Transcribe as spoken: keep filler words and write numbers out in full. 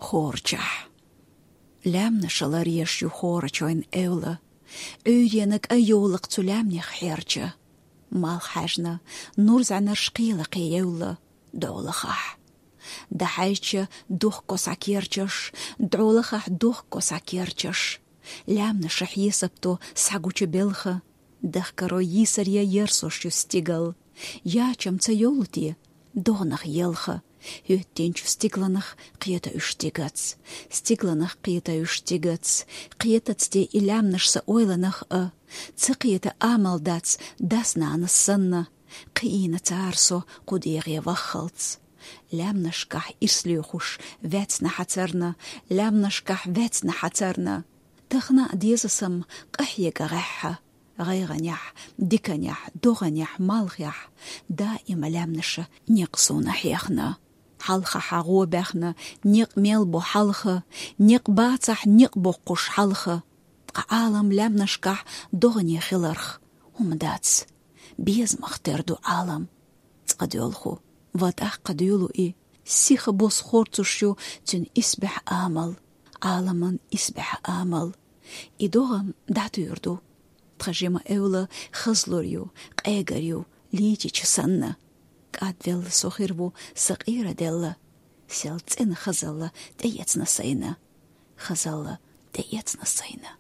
Хорчахь. Лаьмнаша ларъеш ю хорачойн эвла. Ӏуьйренаг айовлакх цу лаьмнех хьерча. Малх хьаьжна, нурзӀанарш кхелакхе евла дӀолахахь. Дахьайча дохко схьакерчаш, дӀолахахь дохко схьакерчаш. Лаьмнаша хьесапто схьагуча белха. Дахкаро йийсаръя ерсош ю стигал. Ячам ца йолу те догӀнах елха. ХӀоьттинчу стигланах кхета уьш тигац. Стигланах кхета уьш тигац. Кхетац те и лаьмнаш сан ойланах а? Ца кхета амал дац дас-нанас санна. Кхиийна цара со кху дегӀе ваххалц. Лаьмнашкахь ирс лоьхуш ваьцна хьацарна, лаьмнашкахь ваьцна хьацарна. Тахана а деза сам къахьега гӀеххьа. ГӀайгӀанехь, диканехь, догӀанехь, малхехь, даима лаьмнаша некъ суна хьехна. Хьалха хьагӀо баьхна, некъ мел бу хьалха, некъ бацахь, некъ боккхуш хьалха. Ткъа Ӏалам лаьмнашкахь догӀане хиларх хӀума дац. Безамах тера ду Ӏалам. Цкъа доьлху, ва тӀаккха доьлу и. Сиха бос хорцуш ю цуьнан исбаьхьа амал, Ӏаламан исбаьхьа амал. И догӀам дӀатуьйр ду. Тхан жима эвла хазлур ю, къегар ю, лийчича санна. КӀадвелла со хир ву, сан къера делла. Сел цӀена хазалла тӀеэцна сайна. Хазалла тӀеэцна сайна.